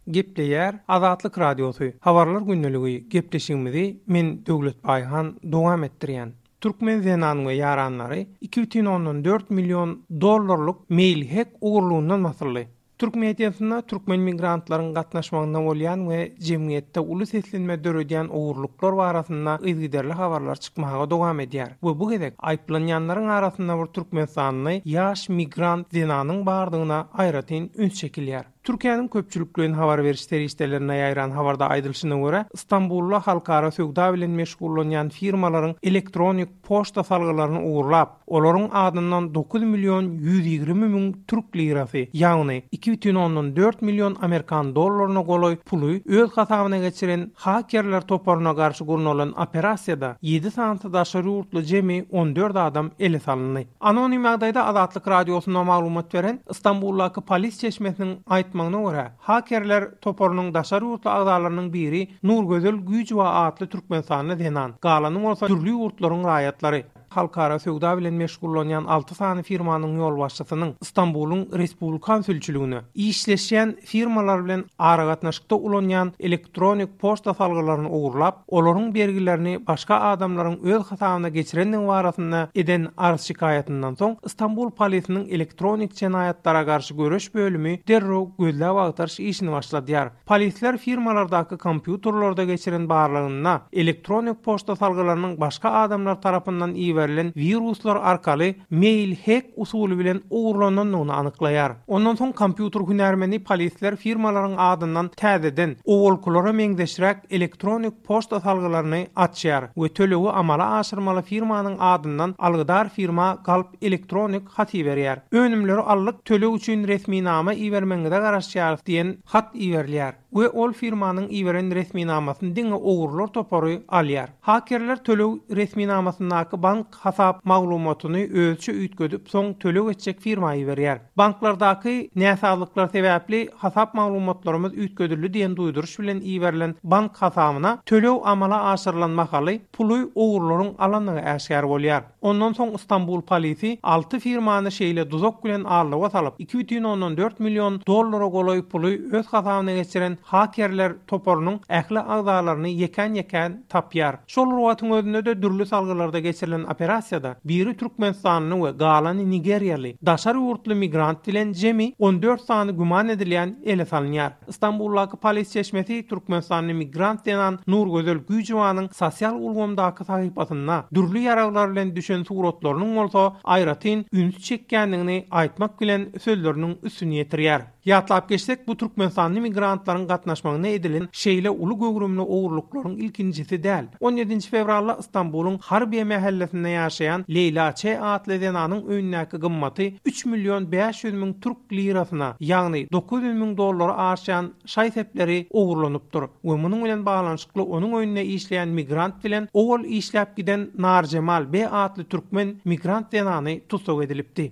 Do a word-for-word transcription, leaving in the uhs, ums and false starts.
Gepleýär Azatlyk Radiosy. Habarlar gündeligi gepleşigimizi men Döwlet Baýhan dowam etdirýän. Türkmen zenan we ýaranlary iki bütin ondan dört million dollarlyk mail hack ogurlugyndan basyldy. Türk mediasynda türkmen migrantlaryň gatnaşmagynda bolýan we jemgyýetde uly seslenme döredýän ogurluklar barasynda yzygiderli habarlar çykmaga dowam edýär. We bu gezek aýyplanýanlaryň arasynda bir Türkmenistanly ýaş migrant zenanyň bardygyna aýratyn üns çekilýär. Türkiýäniň köpçülikleýin habar beriş serişdelerine ýaýran habarda aýdylyşyna görä, Istanbulda halkara söwda bilen meşgullanýan firmalaryň elektronik poçta salgylaryny ogurlap, olaryň adyndan dokuz million ýüz ýigrimi müň türk lirasy, ýagny iki bütin ondan dört million amerikan dollaryna golaý puly öz hasabyna geçiren hakerler toparyna garşy gurnalan operasiýada ýedi sany daşary ýurtly jemi on dört adam ele salyndy. Anonim ýagdaýda Azatlyk Radiosyna maglumat beren Istanbuldaky polis çeşmesiniň aýtmagyna görä, hakerler toparynyň daşary ýurtly agzalarynyň biri Nurgözel Güýjüwa atly Türkmenistanly zenan, galany bolsa dürli ýurtlaryň raýatlary. Halkara söwda bilen meşgullanýan alty sany firmanyň ýolbaşçysynyň Istanbulyň Respublikan sülçüligine işleşýän firmalar bilen aragatnaşykda ulanýan elektronik poçta salgylaryny ogurlap, olaryň bergilerini başga adamlaryň öz hasabyna geçirendigi barasynda eden arz şikaýatyndan soň Istanbul polisiniň elektronik jenaýatlara garşy göreş bölümi derrew gözläp agtaryş işini başladýar. Polisler firmalardaky kompýuterlerde geçiren barlagynda elektronik poçta salgylarynyň başga adamlar tarapyndan iberilen wiruslar arkaly mail hack usuly bilen ogurlanandygyny anyklaýar. Ondan soň kompýuter hünärmeni polisler firmalaryň adyndan täzeden owalkylara meňzeşräk elektronik poçta salgylaryny açýar we tölegi amala aşyrmaly firmanyň adyndan algydar firma galp elektronik hat iberýär. Önümleri allyk töleg üçin resminama ibermegiňize garaşýarys diýen hat iberilýär we ol firmanyň iberen resminamasyny diňe ogurlar topary alýar. Hakerler töleg resminamasyndaky bank hasap maglumatyny özçe üýtgedip soň töleg etjek firma iberýär. Banklardaky näsazlyklar sebäpli hasap maglumatlarymyz üýtgedildi diýen duýduryş bilen iberilen bank hasabyna töleg amala aşyrylan mahaly puly ogurlaryň alandygy äşgär bolýar. Ondan soň Istanbul polisi alty firmany şeýle duzak bilen aldyga salyp, iki bütin ondan dört million dollara golaý puly öz hasabyna geçiren hakerler toparynyň ähli agzalaryny ýekän-ýekän tapýar. Şol wagtyň özünde-de dürli salgylarda geçirilen operasiýada biri Türkmenistanly we galany Nigeriýaly daşary ýurtly migrant bilen jemi on dört sany güman edilýän ele salynýar. Istanbuldaky polis çeşmesi Türkmenistanly migrant zenan Nurgözel Güýjüwanyň sosial ulgamdaky sahypasynda dürli ýaraglar bilen düşen suratlarynyň bolsa aýratyn üns çekýändigini aýtmak bilen sözleriniň üstüni ýetirýär. Ýatlap geçsek, bu Türkmenistanly migrantlaryň gatnaşmagyna edilen şeýle uly göwrümli ogurlyklaryň ilkinjisi däl. on ýedinji fewralda Istanbulyň Harbiye mähellesinde ýaşaýan Leýla Ç atly zenanyň öýündäki gymmaty üç million bäş ýüz müň türk lirasyna, ýagny dokuz ýüz müň dollara aşýan şaý-sepleri ogurlanypdyr we munuň bilen baglanyşykly onuň öýünde işleýän migrant bilen owal işläp giden Narjemal B atly türkmen migrant zenany tussag edilipdi.